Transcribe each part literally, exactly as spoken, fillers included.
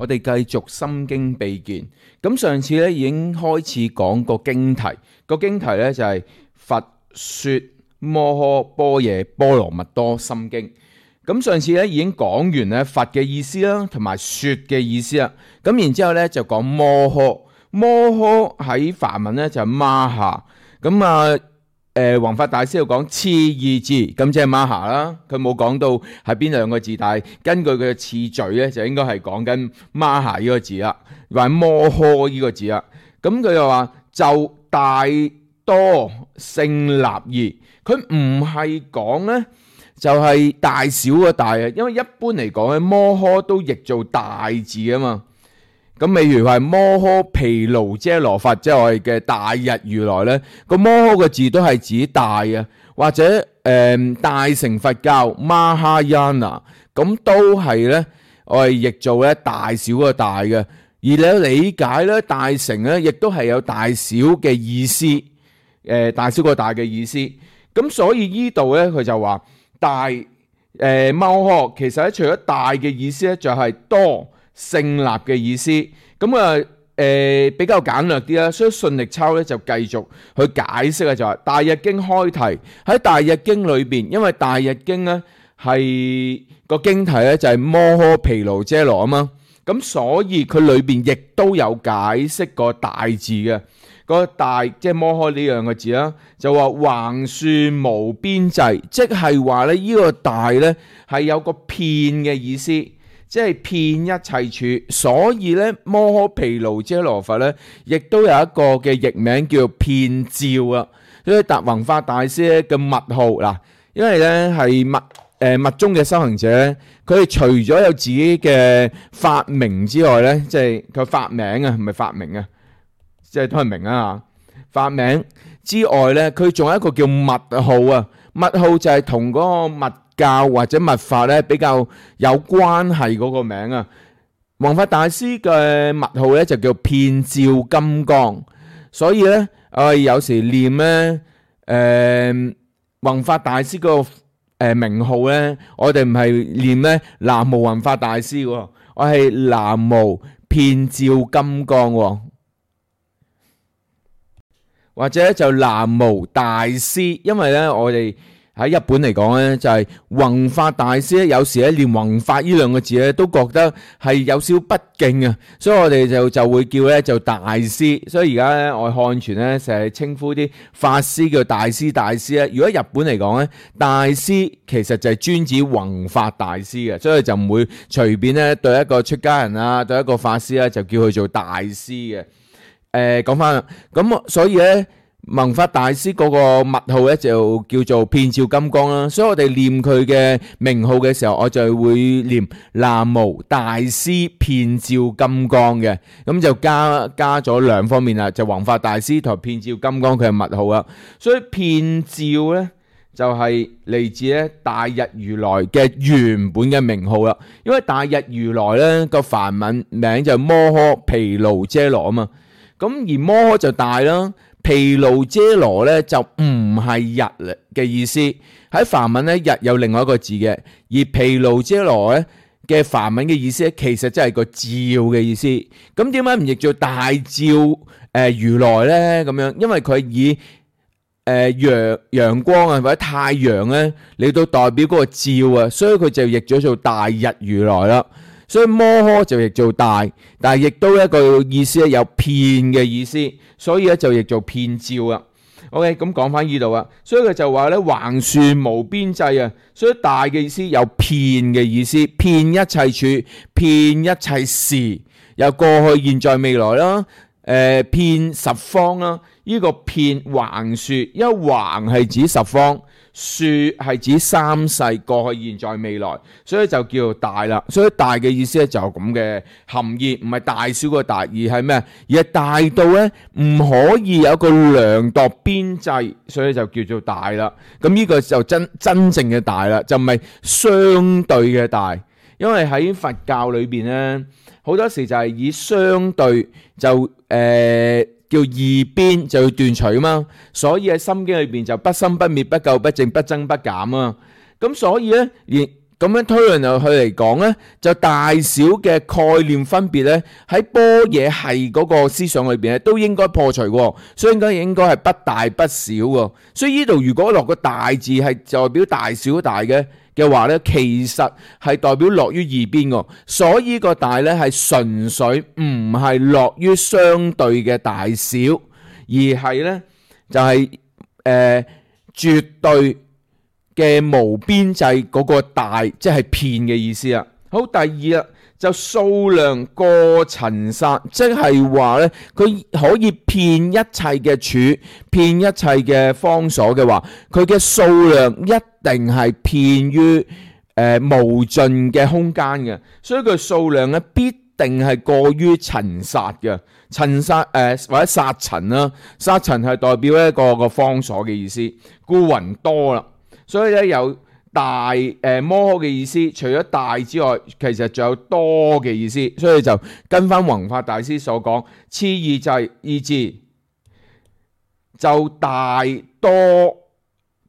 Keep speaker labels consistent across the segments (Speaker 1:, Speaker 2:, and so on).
Speaker 1: 我哋繼續心經秘見。咁上次咧已經開始講個經題，個經題咧就係、是、佛說摩訶般若波羅蜜多心經。咁上次咧已經講完咧佛嘅意思啦，同埋說嘅意思啦。咁然之後咧就講摩訶，摩訶喺梵文咧就係瑪哈。咁啊誒弘法大師又講次二字，咁即係瑪哈啦。佢冇講到係邊兩個字，但係根據佢嘅次序咧就應該係講緊瑪哈呢個字啦，或者摩訶呢個字啦。咁佢又話就大多勝立義，佢唔係講咧就係、是、大小個大啊，因為一般嚟講咧摩訶都譯做大字啊嘛。咁譬如話摩訶毗盧遮羅佛，即係我哋嘅大日如來咧，個摩訶個字都係指大啊，或者誒、呃、大乘佛教 Mahayana， 咁都係咧我哋譯做咧大小個大嘅。而你理解咧大乘咧，亦都係有大小嘅意思，誒、呃、大小個大嘅意思。咁所以呢度咧佢就話大誒、呃、摩訶，其實咧除咗大嘅意思咧，就係多勝立嘅意思。咁啊誒比較簡略啲啦，所以順力抄咧就繼續去解釋啊，就話大日經開題，喺大日經裏邊，因為大日經咧係個經題咧就係摩訶毗盧遮羅啊嘛，咁所以佢裏邊亦都有解釋個大字嘅。個大即係摩訶呢兩個字啦，就話橫豎無邊際，即係話咧呢個大咧係有個遍嘅意思，即係遍一切處。所以咧摩訶毗盧遮羅佛咧，亦都有一個嘅譯名叫做遍照啊。所以達弘法大師咧嘅密號嗱，因為咧係密誒密宗嘅修行者，佢哋除咗有自己嘅法名之外咧，即係佢法名啊，唔係法名啊。即係都係明啊，法名之外咧，佢仲有一個叫密號啊。密號就係同嗰個密教或者密法咧比較有關係嗰個名啊。弘法大師嘅密號咧就叫遍照金剛，所以咧我哋有時念咧誒弘法大師個誒名號咧，我哋唔係念咧南無弘法大師喎，我係南無遍照金剛喎。或者就南無大師，因為咧我哋喺日本嚟講咧就係弘法大師咧，有時咧念弘法呢兩個字咧都覺得係有少不敬啊，所以我哋就就會叫咧就大師。所以而家咧我哋漢傳咧成日稱呼啲法師叫大師大師咧。如果日本嚟講咧，大師其實就係專指弘法大師嘅，所以就唔會隨便咧對一個出家人啊，對一個法師咧就叫佢做大師嘅。誒講翻啦，咁所以咧弘法大師嗰個密號咧就叫做遍照金剛啦。所以我哋念佢嘅名號嘅時候，我就會念南無大師遍照金剛嘅，咁就加加咗兩方面啦，就弘法大師同遍照金剛佢嘅密號啦。所以遍照咧就係嚟自咧大日如來嘅原本嘅名號啦。因為大日如來咧個梵文名就係摩訶毗盧遮羅啊嘛。咁而摩訶就大啦，毗盧遮羅咧就唔係日嘅意思。喺梵文咧日有另外一個字嘅，而毗盧遮羅咧嘅梵文嘅意思咧其實真係個照嘅意思。咁點解唔譯做大照誒、呃、如來咧？咁樣因為佢以誒陽陽光啊或者太陽咧嚟到代表嗰個照啊，所以佢就譯咗做大日如來啦。所以摩訶就譯做大，但係亦都一個意思咧有遍嘅意思，所以咧就譯做遍照啊。OK， 咁講翻呢度啊，所以佢就話咧橫豎無邊際啊，所以大嘅意思有遍嘅意思，遍一切處，遍一切時，有過去、現在、未來啦，誒、呃，遍十方啦。呢、這個遍橫豎，因為橫係指十方，豎係指三世過去、現在、未來，所以就叫做大啦。所以大嘅意思咧就咁嘅含義，唔係大小個大，而係咩？而係大到咧唔可以有個量度邊際，所以就叫做大啦。咁呢個就真真正嘅大啦，就唔係相對嘅大。因為喺佛教裏邊咧，好多時就係以相對就誒。呃叫二邊就要斷除啊嘛，所以喺心經裏邊就不生不滅不垢不淨不增不減啊。咁所以咧，連咁樣推論落去嚟講咧，就大小嘅概念分別咧，喺般若系嗰個思想裏邊咧，都應該破除喎，所以應該應該係不大不小喎。所以呢度如果落個大字係代表大小大嘅嘅話咧，其實係代表落於二邊喎。所以個大咧係純粹唔係落於相對嘅大小，而係咧就係誒絕對嘅無邊際嗰個大，即係遍嘅意思啦。好，第二啦，就數量過塵剎，即係話咧，佢可以遍一切嘅處，遍一切嘅方所嘅話，佢嘅數量一定係遍於誒、呃、無盡嘅空間嘅，所以佢數量咧必定係過於塵剎嘅。塵剎誒、呃、或者剎塵啦，剎塵係代表一個個方所嘅意思，故雲多啦。所以咧有大誒摩訶嘅意思，除咗大之外，其實仲有多嘅意思，所以就跟翻弘法大師所講，次二制二字就大多，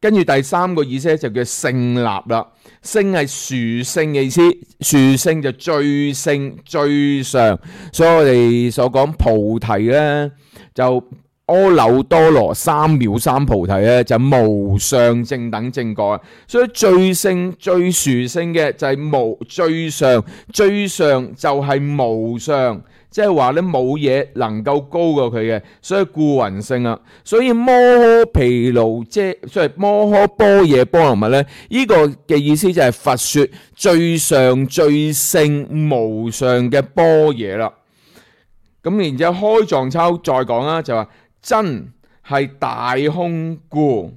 Speaker 1: 跟住第三個意思就叫勝立啦。勝係殊勝嘅意思，殊勝就最勝最上，所以我哋所講菩提咧就。阿耨多羅三藐三菩提咧就無上正等正覺，所以最勝最殊勝嘅就係無最上，最上就係無上，即係話咧冇嘢能夠高過佢嘅，所以故雲勝啊。所以摩訶毗盧遮，所以摩訶般若波羅蜜咧，呢、這個嘅意思就係佛說最上最勝無上嘅般若啦。咁然之後開藏抄再講啦，就話。真係大空故，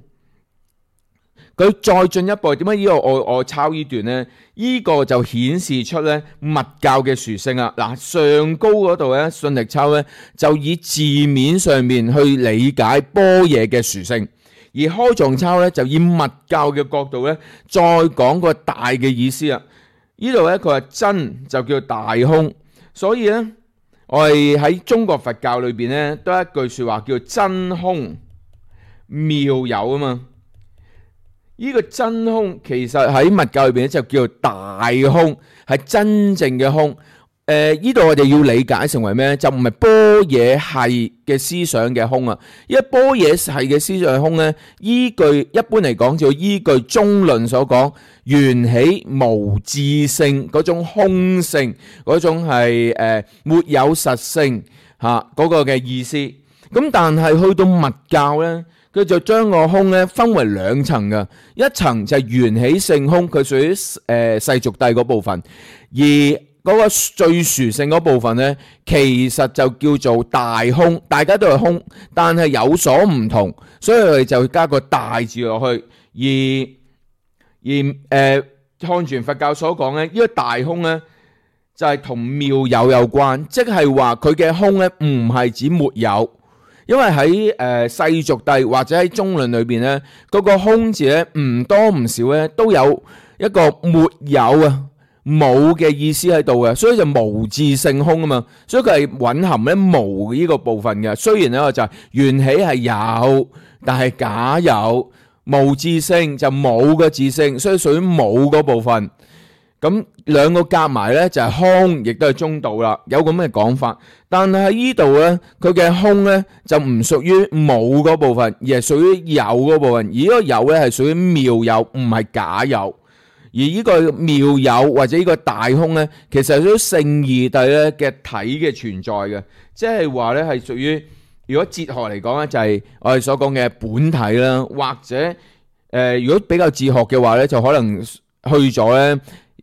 Speaker 1: 佢再進一步，點解呢個我我抄呢段呢？呢、這個就顯示出咧密教嘅殊勝啊！嗱，上高嗰度咧信力抄咧就以字面上面去理解般若嘅殊勝，而開藏抄咧就以密教嘅角度咧再講個大嘅意思啊！呢度咧佢話真就叫大空，所以咧。我哋喺中國佛教裏邊咧，都有一句說話叫真空妙有啊嘛。呢、這個真空其實喺密教裏邊咧就叫大空，係真正嘅空。誒、呃，呢度我哋要理解成為咩？就唔係般若系嘅思想嘅空啊。因為般若系嘅思想嘅空咧，依據一般嚟講就依據中論所講緣起無自性嗰種空性，嗰種係誒、呃、沒有實性吓嗰、啊那個嘅意思。咁但係去到密教咧，佢就將個空咧分為兩層嘅，一層就係緣起性空，佢屬於誒世俗諦嗰部分，而嗰個最殊勝嗰部分咧，其實就叫做大空，大家都係空，但係有所唔同，所以我哋就加個大字落去。而而誒漢傳佛教所講咧，呢個大空咧就係同妙有有關，即係話佢嘅空咧唔係指沒有，因為喺誒世俗諦或者喺中論裏邊咧，嗰個空字咧唔多唔少咧都有一個沒有啊。冇嘅意思喺度嘅，所以就無自性空啊嘛，所以佢係蘊含咧無呢個部分嘅。雖然咧就係緣起係有，但係假有，無自性就冇嘅自性，所以屬於冇嗰部分。咁兩個夾埋咧就係空，亦都係中道啦。有咁嘅講法，但係喺呢度咧，佢嘅空咧就唔屬於冇嗰部分，而係屬於有嗰部分。而呢個有咧係屬於妙有，唔係假有。而呢個妙有或者呢個大空咧，其實係屬於勝義諦咧嘅體嘅存在嘅，即係話咧係屬於如果哲學嚟講咧，就係我哋所講嘅本體啦，或者誒、呃、如果比較哲學嘅話咧，就可能去咗咧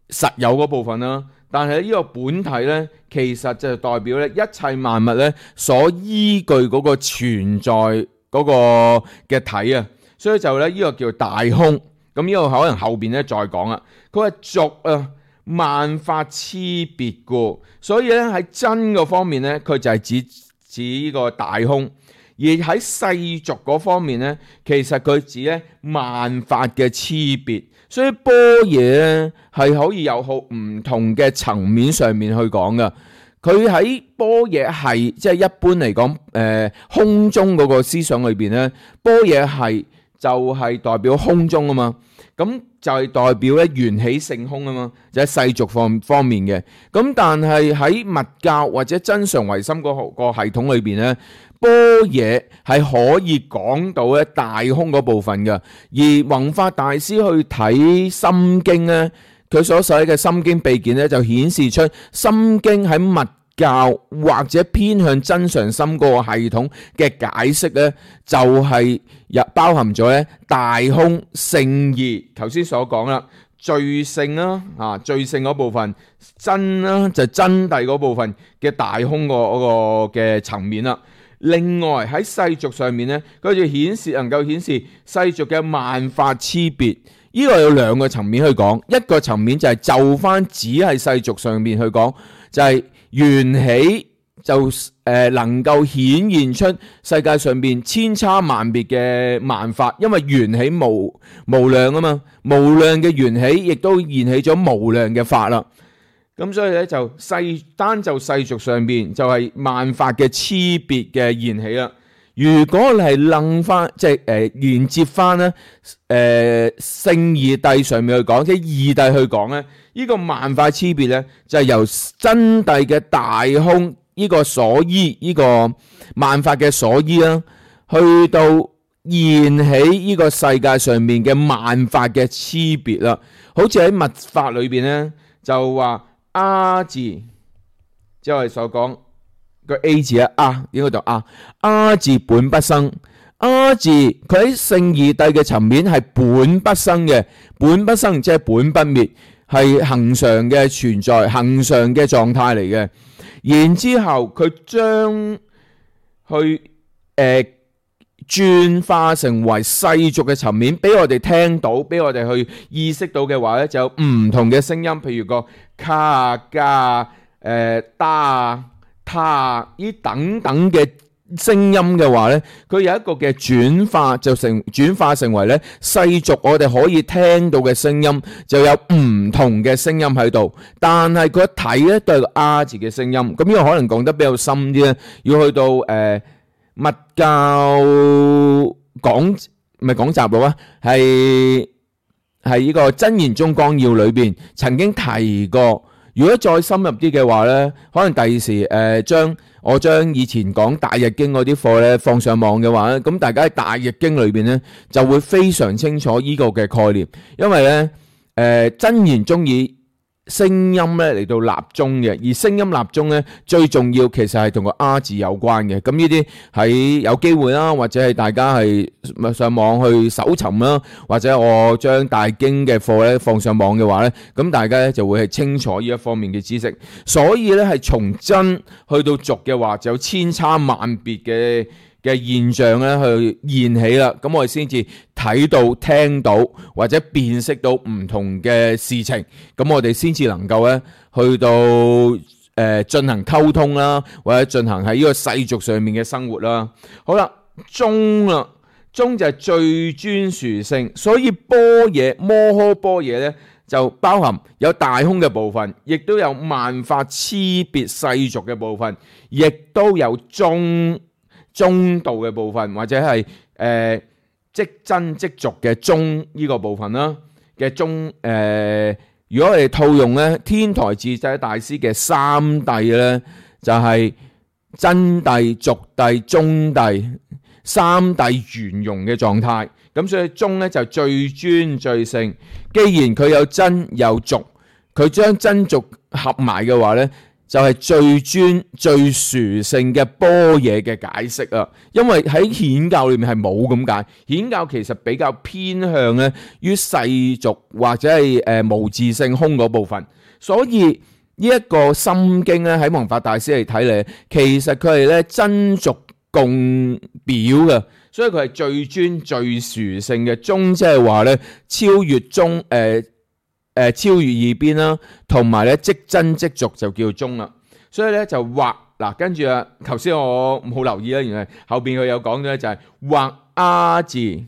Speaker 1: 實有嗰部分啦。但係呢個本體咧，其實就代表咧一切萬物咧所依據嗰個存在嗰個嘅體啊，所以就咧呢個叫大空。咁呢個可能後邊咧再講啦。佢話俗啊，萬法差別故，所以咧喺真嘅方面咧，佢就係指指呢個大空；而喺世俗嗰方面咧，其實佢指咧萬法嘅差別。所以般若咧係可以有好唔同嘅層面上面去講噶。佢喺般若係即係一般嚟講，誒、呃、空中嗰個思想裏邊咧，般若係。就係代表空中啊嘛，咁就係代表咧緣起性空啊嘛，就喺世俗方方面嘅。咁但係喺密教或者真常唯心嗰個系統裏邊咧，般若係可以講到咧大空嗰部分嘅。而弘法大師去睇心經咧，佢所寫嘅心經秘典咧，就顯示出心經喺密教或者偏向真常心嗰個系統嘅解釋咧，就係入包含咗咧大空聖義，頭先所講啦，最勝啦啊，最勝嗰部分真啦就真諦嗰部分嘅大空個嗰個嘅層面啦。另外喺世俗上面咧，佢就顯示能夠顯示世俗嘅萬法差別。呢個有兩個層面去講，一個層面就係就翻只係世俗上面去講，就係、是。緣起就誒能夠顯現出世界上邊千差萬別嘅萬法，因為緣起無無量啊嘛，無量嘅緣起亦都現起咗無量嘅法啦。咁所以咧就世單就世俗上邊就係萬法嘅差別嘅現起啦。如果你係楞翻即係誒連接翻咧誒聖義諦上面去講，即係義諦去講咧。呢個萬法差別咧，就係由真諦嘅大空呢個所依，呢個萬法嘅所依啦，去到現起呢個世界上面嘅萬法嘅差別啦。好似喺密法裏邊咧，就話阿字，即係我哋所講個 A 字啊，啊應該讀啊，阿字本不生，阿字佢喺聖義諦嘅層面係本不生嘅，本不生即係本不滅。係恆常嘅存在，恆常嘅狀態嚟嘅。然之後佢將去誒轉化成為世俗嘅層面，俾我哋聽到，俾我哋去意識到嘅話咧，就有唔同嘅聲音，譬如個卡啊、加啊、誒打啊、他啊呢等等嘅聲音嘅話咧，佢有一個嘅轉化，就成轉化成為咧世俗我哋可以聽到嘅聲音，就有唔同嘅聲音喺度。但係佢一睇咧都係個啊字嘅聲音。咁呢個可能講得比較深啲咧，要去到誒密教講唔係講集錄啊，係係呢個真言宗綱要裏邊曾經提過。如果再深入啲嘅話咧，可能第二時誒將我將以前講大日經嗰啲課咧放上網嘅話咧，咁大家喺大日經裏邊咧就會非常清楚呢個嘅概念，因為咧誒真言宗以聲音咧嚟到立宗嘅，而聲音立宗咧最重要其實係同個啊字有關嘅。咁呢啲喺有機會啦，或者係大家係上網去搜尋啦，或者我將大經嘅課咧放上網嘅話咧，咁大家咧就會係清楚呢一方面嘅知識。所以咧係從真去到俗嘅話，就有千差萬別嘅嘅現象咧去現起啦，咁我哋先至睇到、聽到或者辨識到唔同嘅事情，咁我哋先至能夠咧去到誒進行溝通啦，或者進行喺呢個世俗上面嘅生活啦。好啦，宗啦，宗就係最尊殊勝，所以般若摩訶般若咧就包含有大空嘅部分，亦都有萬法差別世俗嘅部分，亦都有中。中道嘅部分，或者係誒、呃、即真即俗嘅中呢個部分啦嘅中誒、呃，如果我哋套用咧天台智者大師嘅三諦咧，就係、是、真諦、俗諦、中諦三諦圓融嘅狀態。咁所以中咧就最尊最勝。既然佢有真有俗，佢將真俗合埋嘅話咧，就係最尊最殊勝嘅般若嘅解釋啊！因為喺顯教裏面係冇咁解，顯教其實比較偏向咧於世俗或者係誒無自性空嗰部分，所以呢一個心經咧喺弘法大師嚟睇嚟，其實佢係咧真俗共表嘅，所以佢係最尊最殊勝嘅宗，即係話咧超越宗誒。呃誒，超越二邊啦，同埋咧即真即俗就叫宗啦。所以咧就畫嗱，跟住啊，頭先我冇留意啦，原來後邊佢有講咧就係畫啊字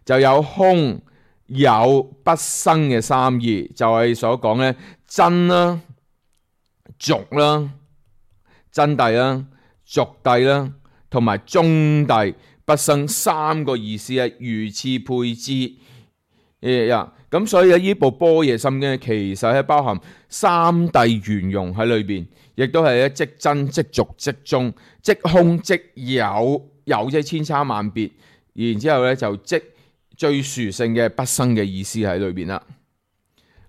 Speaker 1: 就有空有不生嘅三義，就係所講咧真啦、俗啦、真諦啦、俗諦啦，同埋中諦。不生三個意思啊，如次配之。誒呀，咁所以咧呢部般若心經其實係包含三諦圓融喺裏邊，亦都係咧即真即俗即中即空即有，有即係千差萬別，然之後咧就即最殊勝嘅不生嘅意思喺裏邊啦。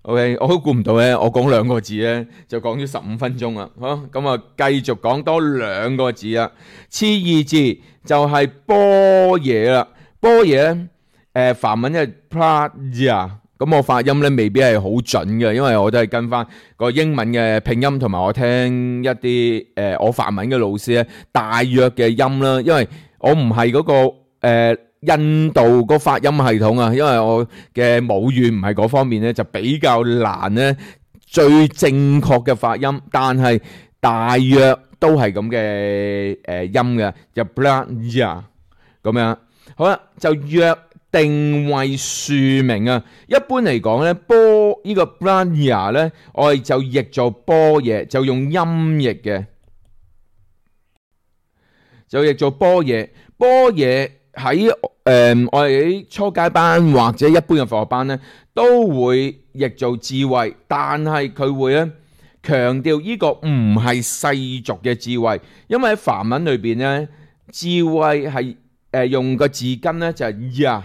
Speaker 1: OK， 我都估唔到咧，我講兩個字咧就講咗十五分鐘啦。好，咁啊繼續講多兩個字啦。次二字就係般若啦，般若咧。誒梵文係 prajna， 咁我發音咧未必係好準嘅，因為我都係跟翻個英文嘅拼音，同埋我聽一啲誒、呃、我梵文嘅老師咧大約嘅音啦，因為我唔係嗰個誒、呃、印度個發音系統啊，因為我嘅母語唔係嗰方面咧，就比較難咧最正確嘅發音，但係大約都係咁嘅誒音嘅，就 prajna 咁樣。好啦，就約定為庶名啊！一般嚟講咧，般呢個 prajna 咧，我哋就譯做般若，就用音譯嘅，就譯做般若。般若喺誒我哋喺初階班或者一般嘅佛學班咧，都會譯做智慧，但係佢會咧強調呢個唔係世俗嘅智慧，因為喺梵文裏邊咧，智慧係誒用個字根咧就係呀。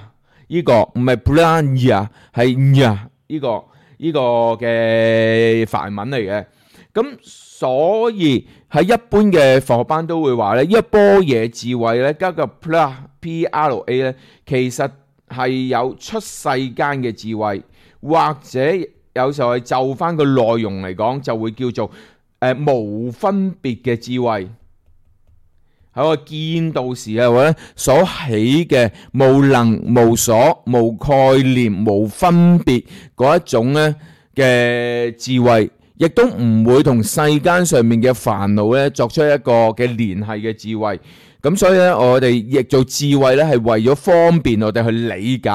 Speaker 1: 呢個唔係 prajna， 係呀呢個呢個嘅梵文嚟嘅。咁所以喺一般嘅佛學班都會話咧，呢個般若智慧咧加個 pra p r a 咧，其實係有出世間嘅智慧，或者有時候係就翻個內容嚟講，就會叫做誒、呃、無分別嘅智慧。喺我見到時啊，或者所起嘅無能無所無概念無分別嗰一種咧嘅智慧，亦都唔會同世間上面嘅煩惱咧作出一個嘅聯繫嘅智慧。咁所以咧，我哋譯做智慧咧，係為咗方便我哋去理解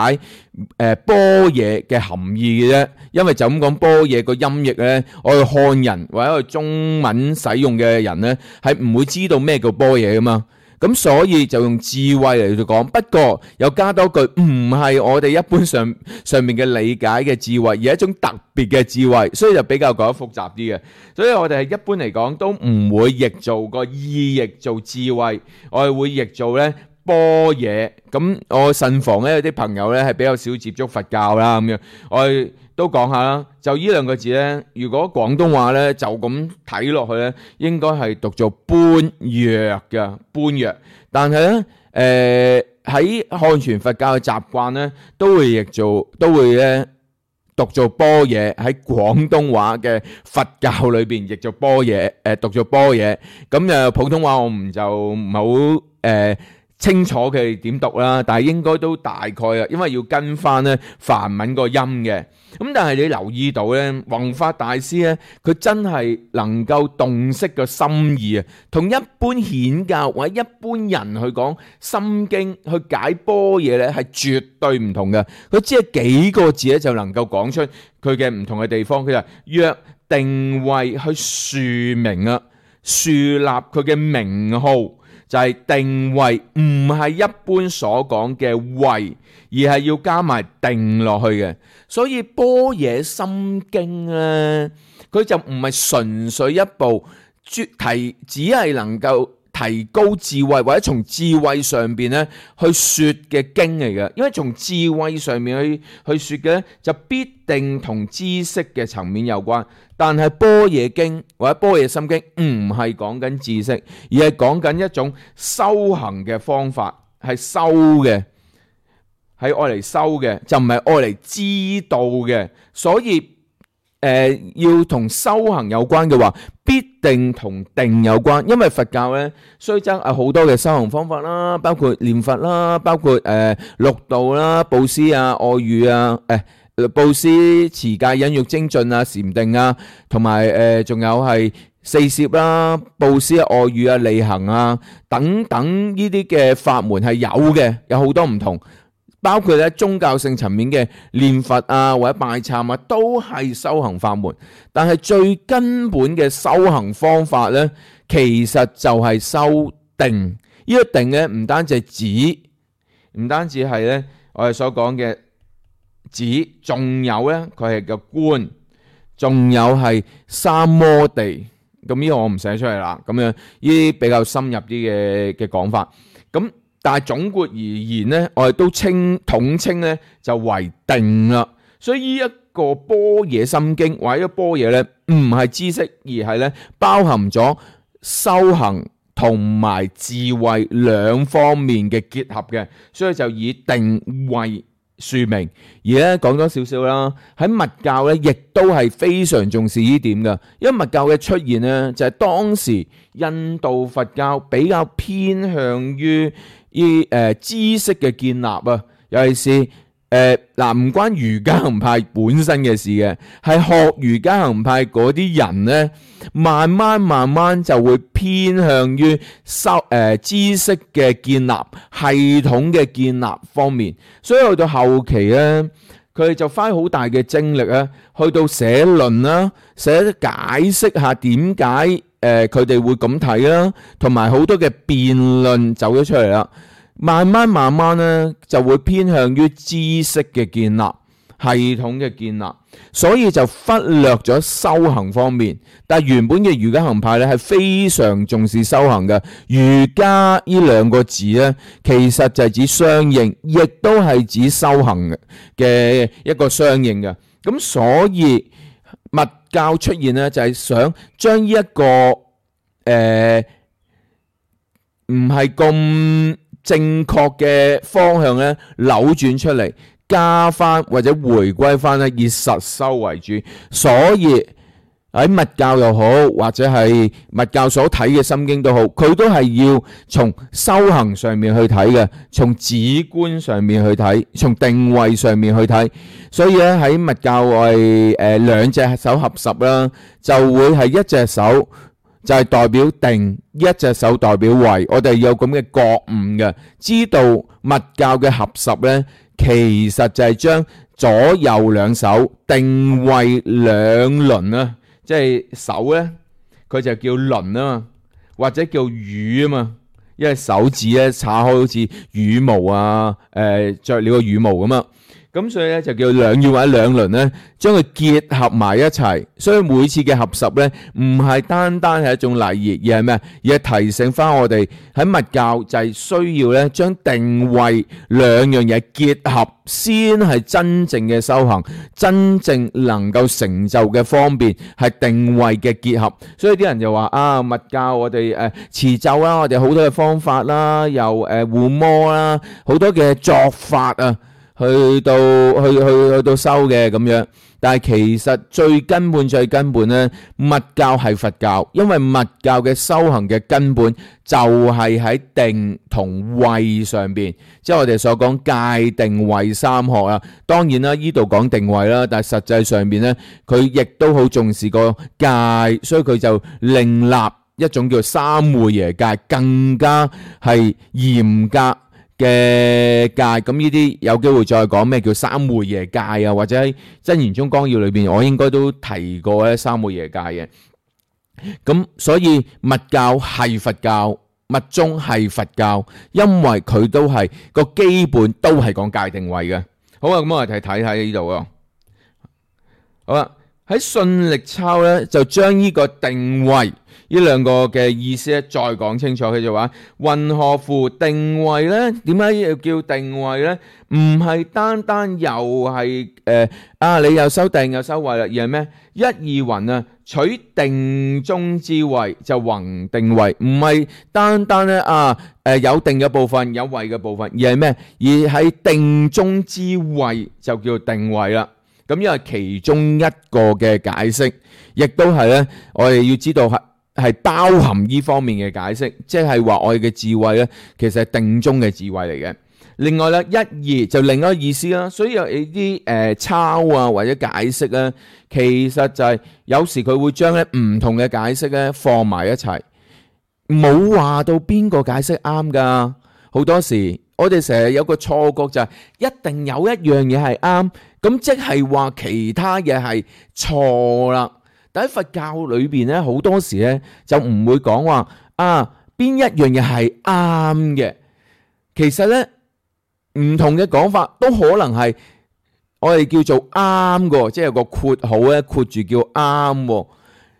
Speaker 1: 誒般若嘅含義嘅啫。因為就咁講般若個音譯咧，我哋漢人或者我哋中文使用嘅人咧，係唔會知道咩叫般若噶嘛。咁所以就用智慧嚟到講，不過又加多句，唔係我哋一般上上面嘅理解嘅智慧，而係一種特別嘅智慧，所以就比較講得複雜啲嘅。所以我哋係一般嚟講都唔會譯做個意譯做智慧，我哋會譯做咧般若。咁我慎防咧有啲朋友咧係比較少接觸佛教啦，咁樣我哋都講下啦。就呢兩個字咧，如果廣東話咧就咁睇落去咧，應該係讀做般若嘅般若。但係咧誒喺漢傳佛教嘅習慣咧，都會譯做都會咧讀做般若。喺廣東話嘅佛教裏邊譯做般若，誒讀做般若。咁誒普通話我唔就唔係好誒清楚佢哋點讀啦，但係應該都大概啊，因為要跟翻咧梵文個音嘅。咁但係你留意到咧，弘法大師咧，佢真係能夠洞悉個心意啊，同一般顯教或者一般人去講心經去解般若咧，係絕對唔同嘅。佢只係幾個字咧就能夠講出佢嘅唔同嘅地方。佢就約定位去樹名啊，樹立佢嘅名號。就係定位，唔係一般所講嘅位，而係要加埋定落去嘅。所以般若心經咧，佢就唔係純粹一部提，只係能夠提高智慧或者從智慧上邊咧去說嘅經嚟嘅。因為從智慧上面去去說嘅咧，就必定同知識嘅層面有關。但係般若經或者般若心經唔係講緊知識，而係講緊一種修行嘅方法，係修嘅，係愛嚟修嘅，就唔係愛嚟知道嘅。所以誒、呃，要同修行有關嘅話，必定同定有關。因為佛教咧，雖則係好多嘅修行方法啦，包括念佛啦，包括誒、呃、六度啦、布施啊、愛語啊，誒、呃。布施、持戒、忍辱、精進啊、禪定啊，同埋誒，仲有係四攝啦、布施啊、愛語啊、利行啊等等呢啲嘅法門係有嘅，有好多唔同，包括咧宗教性層面嘅念佛啊或者拜懺啊，都係修行法門。但係最根本嘅修行方法咧，其實就係修定。呢個定咧唔單止係指唔單止係咧我哋所講嘅子，仲有咧佢係個官，仲有係三摩地。咁呢個我唔寫出嚟啦，咁樣呢啲比較深入啲嘅嘅講法。咁但係總括而言咧，我哋都稱統稱咧就為定啦。所以呢一個般若心經或者般若咧，唔係知識，而係咧包含咗修行同埋智慧兩方面嘅結合嘅，所以就以定為說明。而咧講多少少啦，喺密教咧亦都係非常重視呢點嘅，因為密教嘅出現咧就係當時印度佛教比較偏向於依誒知識嘅建立啊，尤其是誒嗱唔關瑜伽行派本身嘅事嘅，係學瑜伽行派嗰啲人咧，慢慢慢慢就會偏向於修誒知識嘅建立、系統嘅建立方面，所以去到後期咧，佢哋就花好大嘅精力咧，去到寫論啦，寫解釋下點解誒佢哋會咁睇啦，同埋好多嘅辯論走咗出嚟啦。慢慢慢慢咧，就會偏向於知識嘅建立、系統嘅建立，所以就忽略咗修行方面。但係原本嘅瑜伽行派咧係非常重視修行嘅。瑜伽呢兩個字咧，其實就係指相應，亦都係指修行嘅一個相應嘅。咁所以密教出現咧，就係想將呢一個誒唔係咁正確嘅方向咧扭轉出嚟，加翻或者回歸翻咧以實修為主。所以喺密教又好，或者係密教所睇嘅心經都好，佢都係要從修行上面去睇嘅，從止觀上面去睇，從定位上面去睇。所以咧喺密教我係誒兩隻手合十啦，就會係一隻手就係代表定，一隻手代表位。我哋有咁嘅覺悟嘅，知道密教嘅合十咧，其實就係將左右兩手定位兩輪啊，即係手咧，佢就叫輪啊嘛，或者叫羽啊嘛，因為手指咧叉開好似羽毛啊，誒著了個羽毛咁啊。咁所以咧就叫兩羽或者兩輪咧，將佢結合埋一齊。所以每次嘅合十咧，唔係單單係一種禮儀，而係咩？而係提醒翻我哋喺密教就係需要咧，將定位兩樣嘢結合，先係真正嘅修行，真正能夠成就嘅方便係定位嘅結合。所以啲人就話啊，密教我哋誒持咒啦，我哋好多嘅方法啦，又誒護摩啦，好多嘅作法啊。去到去去去到收嘅咁樣，但係其實最根本最根本咧，密教係佛教，因為密教嘅修行嘅根本就係喺定同位上邊，即係我哋所講戒定慧三學啊。當然啦，呢度講定位啦，但係實際上邊咧，佢亦都好重視個戒，所以佢就另立一種叫三昧耶戒，更加係嚴格嘅戒。咁呢啲有機會再講咩叫三昧耶戒啊，或者喺真言宗綱要裏邊，我應該都提過咧三昧耶戒嘅。咁所以密教係佛教，密宗係佛教，因為佢都係個基本都係講戒定慧嘅。好啊，咁我哋睇睇呢度啊。好啦，喺信力抄咧就將呢個定慧呢兩個嘅意思咧再講清楚。佢就話：云何乎定慧咧？點解要叫定慧咧？唔係單單又係誒、呃、啊！你又修定又修慧啦，而係咩？一二云啊，取定中之慧就弘定慧，唔係單單咧啊誒、呃、有定嘅部分，有慧嘅部分，而係咩？而喺定中之慧就叫定慧啦。咁因為其中一個嘅解釋，亦都係咧，我哋要知道係係包含呢方面嘅解釋，即係話我哋嘅智慧咧，其實係定中嘅智慧嚟嘅。另外咧，一二就另一個意思啦。所以有啲誒抄啊或者解釋咧，其實就係有時佢會將咧唔同嘅解釋咧放埋一齊，冇話到邊個解釋啱噶。好多時我哋成日有個錯覺就係一定有一樣嘢係啱，咁即係話其他嘢係錯啦。但喺佛教裏邊咧，好多時咧就唔會講話啊邊一樣嘢係啱嘅。其實咧唔同嘅講法都可能係我哋叫做啱嘅，即係有個括號咧，括住叫啱。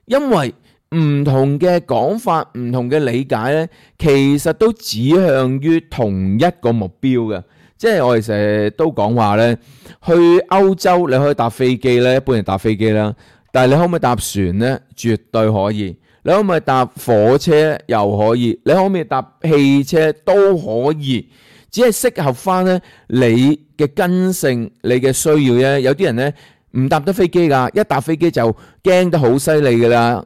Speaker 1: 因為唔同嘅講法、唔同嘅理解咧，其實都指向於同一個目標嘅。即係我哋成日都講話咧，去歐洲你可以搭飛機咧，一般人搭飛機啦。但係你可唔可以搭船咧？絕對可以。你可唔可以搭火車？又可以。你可唔可以搭汽車？都可以。只係適合翻咧你嘅根性、你嘅需要啫。有啲人咧唔搭得飛機㗎，一搭飛機就驚得好犀利㗎啦，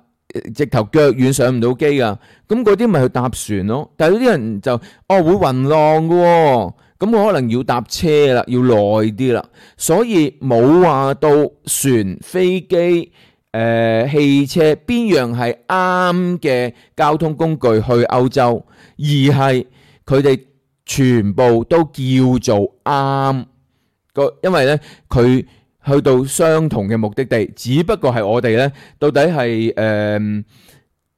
Speaker 1: 直頭腳軟上唔到機㗎。咁嗰啲咪去搭船咯。但係有啲人就哦會暈浪㗎喎，咁我可能要搭車啦，要耐啲啦。所以冇話到船、飛機、誒汽車邊樣係啱嘅交通工具去歐洲，而係佢哋全部都叫做啱個，因為咧佢去到相同嘅目的地，只不過係我哋咧到底係誒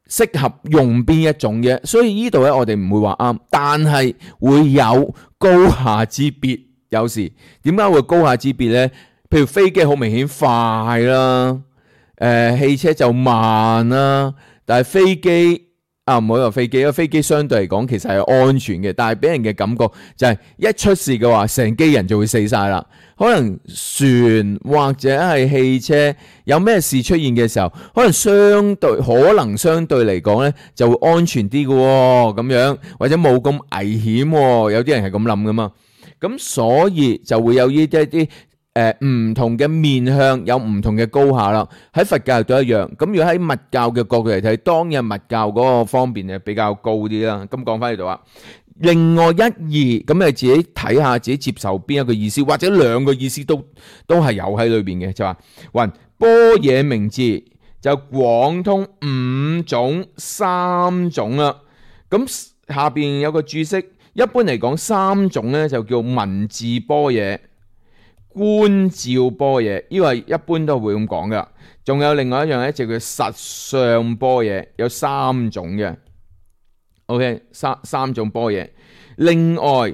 Speaker 1: 適合用邊一種嘅，所以呢度咧我哋唔會話啱，但係會有高下之別。有時點解會高下之別咧？譬如飛機好明顯快啦，誒汽車就慢啦，但係飛機啊唔好話飛機，因為飛機相對嚟講其實係安全嘅，但係俾人嘅感覺就係一出事嘅話，成機人就會死晒啦。可能船或者係汽車有咩事出現嘅時候，可能相對可能相對嚟講咧就會安全啲嘅喎，咁樣或者冇咁危險喎。有啲人係咁諗噶嘛，咁所以就會有呢啲一啲。誒唔同嘅面向有唔同嘅高下啦，喺佛教都一樣。咁如果喺密教嘅角度嚟睇，當日密教嗰個方面係比較高啲啦。咁講翻呢度啊，另外一二咁你自己睇下，自己接受邊一個意思，或者兩個意思都都係有喺裏邊嘅，就話云般若名字就廣通五種三種啦。咁下邊有個注釋，一般嚟講三種咧就叫文字般若、觀照般若，呢個係一般都會咁講噶。仲有另外一樣咧，就叫實相般若，有三種嘅。OK， 三三種般若。另外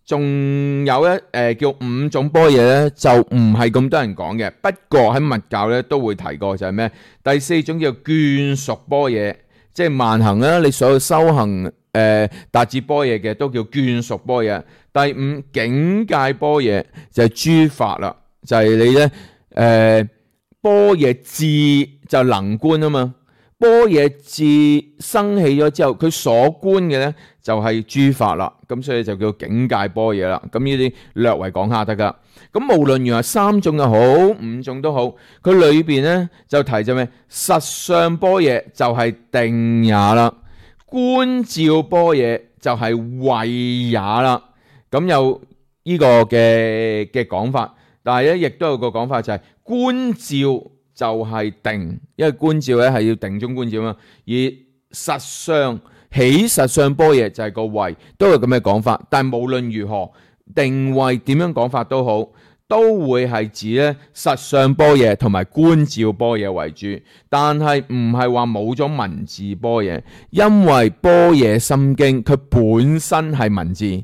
Speaker 1: 仲有一誒、呃、叫五種般若咧，就唔係咁多人講嘅。不過喺密教咧都會提過，就係咩？第四種叫眷屬般若，即係萬行啦，你所有修行誒達至般若嘅都叫眷屬般若。第五境界般若就係諸法啦，就係、是、你咧誒般若智就能觀啊嘛，般若智生起咗之後，佢所觀嘅咧就係諸法啦，咁所以就叫境界般若啦。咁呢啲略為講下得噶。咁無論原來三種又好，五種都好，佢裏邊咧就提咗咩？實相般若就係定也啦，觀照般若就係慧也啦。咁有呢個嘅嘅講法，但係咧亦都有個講法就係觀照就係定，因為觀照咧係要定中觀照嘛。而實相起實相般若就係個慧，都有咁嘅講法。但係無論如何，定慧點樣講法都好，都會係指咧實相般若同埋觀照般若為主。但係唔係話冇咗文字般若，因為般若心經佢本身係文字。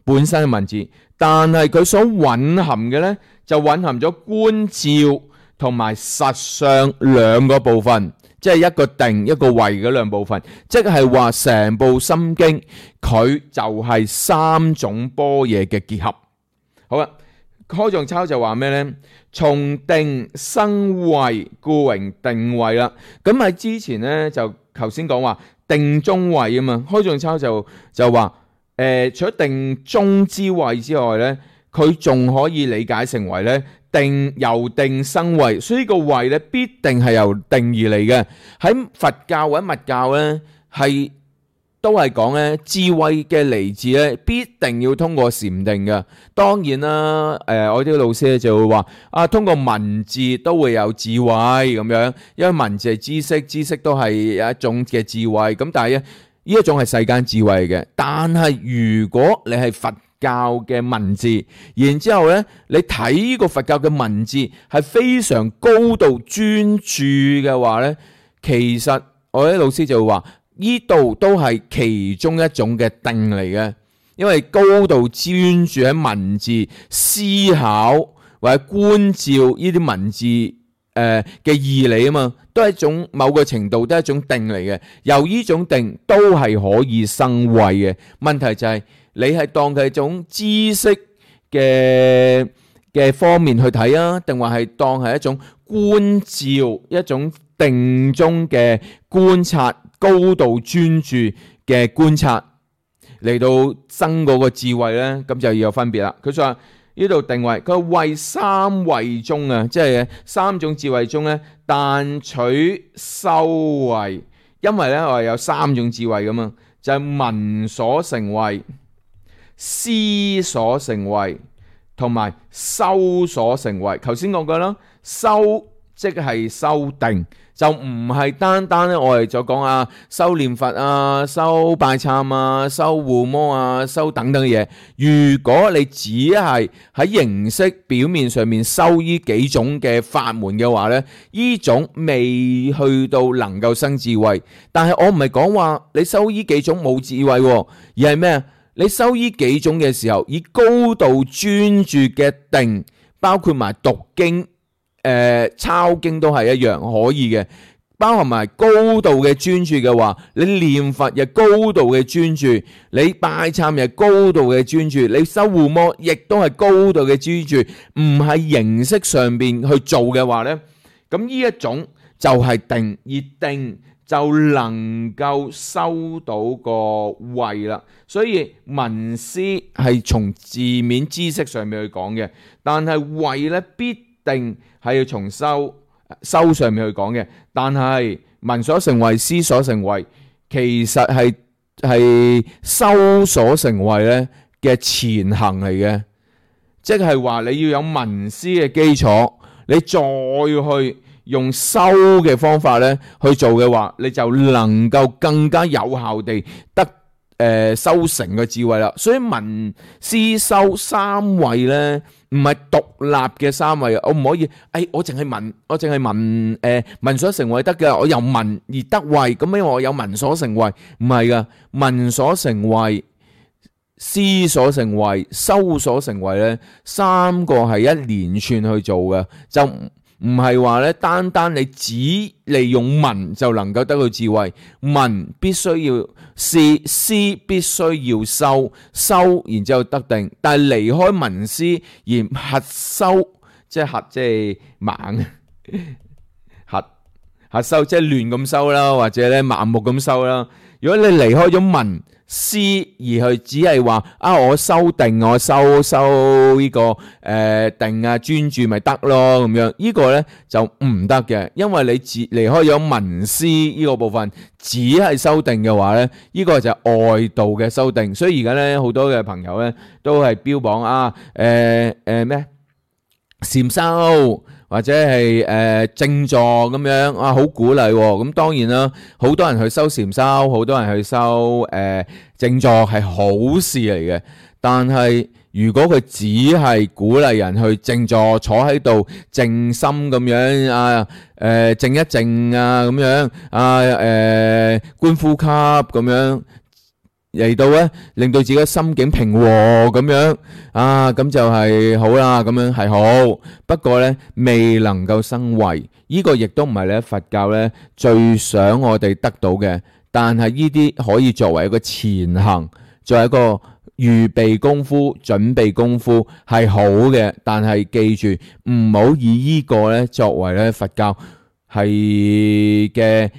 Speaker 1: 本身嘅文字，但係佢所蘊含嘅呢，就蘊含咗觀照同埋實相兩個部分，即係一個定一個慧嗰兩部分，即係話成部心經佢就係三種般若嘅結合。好啦，開藏抄就話咩呢？從定生慧，故名定慧啦。咁喺之前呢，就頭先講話定中慧啊嘛，開藏抄就就話。誒、呃，除咗定中之慧之外咧，佢仲可以理解成為咧定由定生慧，所以個慧咧必定係由定而嚟嘅。喺佛教或者密教咧，係都係講咧智慧嘅嚟自咧，必定要通過禪定嘅。當然啦，誒、呃，我啲老師咧就會話啊，通過文字都會有智慧咁樣，因為文字係知識，知識都係一種嘅智慧。咁但係咧。呢一種係世間智慧嘅，但係如果你係佛教嘅文字，然之後咧，你睇呢個佛教嘅文字係非常高度專注嘅話咧，其實我啲老師就會話，呢度都係其中一種嘅定嚟嘅。因為高度專注喺文字思考或者觀照呢啲文字誒嘅義理啊嘛，都係一種某個程度都係一種定嚟嘅。由呢種定都係可以生慧嘅。問題就係你係當佢係一種知識嘅嘅方面去睇啊，定話係當係一種觀照、一種定中嘅觀察、高度專注嘅觀察嚟到生嗰個智慧咧，咁就要有分別啦。佢話呢度定位，佢話為三慧中啊，即係三種智慧中咧，但取修慧，因為咧我哋有三種智慧噶嘛，就係聞所成慧、思所成慧同埋修所成慧。頭先講過啦，修即係修定，就唔係單單咧我哋就講啊修念佛啊、修拜懺啊、修護摩啊、修等等嘅嘢。如果你只係喺形式表面上面修呢幾種嘅法門嘅話咧，呢種未去到能夠生智慧。但係我唔係講話你修呢幾種冇智慧，而係咩啊？你修呢幾種嘅時候，以高度專注嘅定，包括埋讀經、誒、呃、抄經都係一樣可以嘅，包含埋高度嘅專注嘅話，你念佛亦高度嘅專注，你拜懺亦高度嘅專注，你修護摩亦都係高度嘅專注，唔係形式上邊去做嘅話呢，咁呢一種就係定，而定就能夠收到個慧啦。所以聞思係從字面知識上面去講嘅，但係慧咧必定係要從修修上面去講嘅。但係聞所成慧、思所成慧，其實係係修所成慧咧嘅前行嚟嘅，即係話你要有聞思嘅基礎，你再去用修嘅方法咧去做嘅話，你就能夠更加有效地得誒、呃、修成嘅智慧啦。所以聞思修三慧咧，唔係獨立嘅三慧，我唔可以誒、哎，我淨係聞，我淨係聞誒聞所成慧得嘅，我由聞而得慧，咁因為我有聞所成慧，唔係噶，聞所成慧、思所成慧、修所成慧咧，三個係一連串去做嘅，就唔係話咧，單單你只利用聞就能夠得到智慧，聞必須要思，思必須要修，修然之後得定。但係離開聞思而核修，即係核即係盲，核核修即係亂咁修啦，或者咧盲目咁修啦。如果你離開咗聞思而去只係話啊，我修定，我修修呢個誒定啊專注咪得咯咁樣，呢個咧就唔得嘅，因為你只離開咗聞思呢個部分，只係修定嘅話咧，呢個就係外道嘅修定。所以而家咧好多嘅朋友咧都係標榜啊誒誒咩禪修或者係誒靜坐咁樣啊，好鼓勵喎。咁當然啦，好多人去修禪修，好多人去修誒靜坐係好事嚟嘅。但係如果佢只係鼓勵人去靜坐，坐喺度靜心咁樣啊，誒靜一靜啊咁樣啊，誒觀呼吸咁樣嚟到咧，令到自己心境平和咁樣啊，咁就係好啦，咁樣係好。不過咧，未能夠生慧，呢個亦都唔係咧佛教咧最想我哋得到嘅。但係呢啲可以作為一個前行，作為一個預備功夫、準備功夫係好嘅。但係記住，唔好以呢個咧作為咧佛教係嘅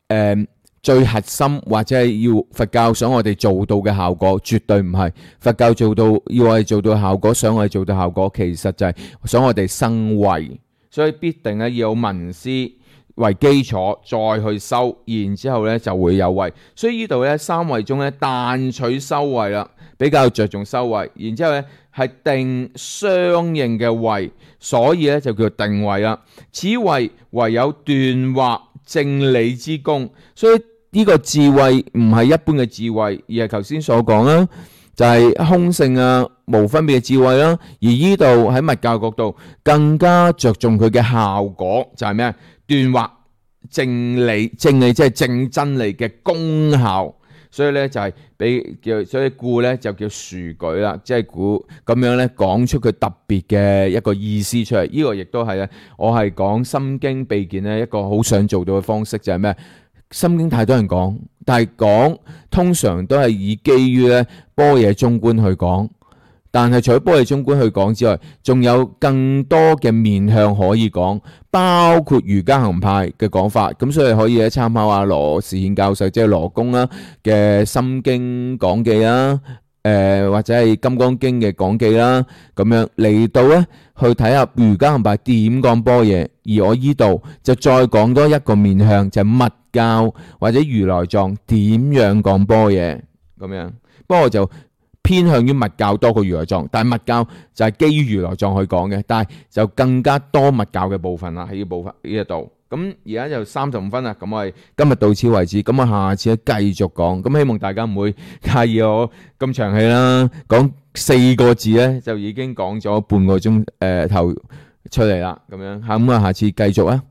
Speaker 1: 誒。最核心或者係要佛教想我哋做到嘅效果，絕對唔係佛教做到要我哋做到效果，想我哋做到效果，其實就係想我哋生慧。所以必定咧要有聞思為基礎，再去修，然之後咧就會有慧。所以呢度咧三慧中咧但取修慧啦，比較着重修慧，然之後咧係定相應嘅慧，所以咧就叫定慧啦。此慧唯有斷惑正理之功，所以呢個智慧唔係一般嘅智慧，而係頭先所講啦，就係空性啊、無分別嘅智慧啦。而呢度喺密教角度更加着重佢嘅效果，就係咩啊？斷惑正理，正理即係正真理嘅功效。所以咧就係俾叫，所以故咧就叫殊舉啦，即係故咁樣咧講出佢特別嘅一個意思出嚟。呢、這個亦都係咧，我係講心經秘見咧一個好想做到嘅方式就係咩？心經太多人講，但係講通常都係以基於咧般若中觀去講。但係除咗般若中觀去講之外，仲有更多嘅面向可以講，包括瑜伽行派嘅講法。咁所以可以咧參考下羅士憲教授，即係羅公啦嘅心經講記啦，誒、呃、或者係金剛經嘅講記啦，咁樣嚟到咧去睇下瑜伽行派點講般若。而我依度就再講多一個面向，就係、是、密教或者如來藏點樣講般若咁樣。不過就偏向於密教多過如來藏，但係密教就係基於如來藏去講嘅，但係就更加多密教嘅部分啦，喺呢部分呢一度。咁而家就三十五分啦，咁我哋今日到此為止，咁我下次咧繼續講。咁希望大家唔會介意我咁長氣啦，講四個字咧就已經講咗半個鐘誒頭出嚟啦，咁樣嚇咁啊，下次繼續啊。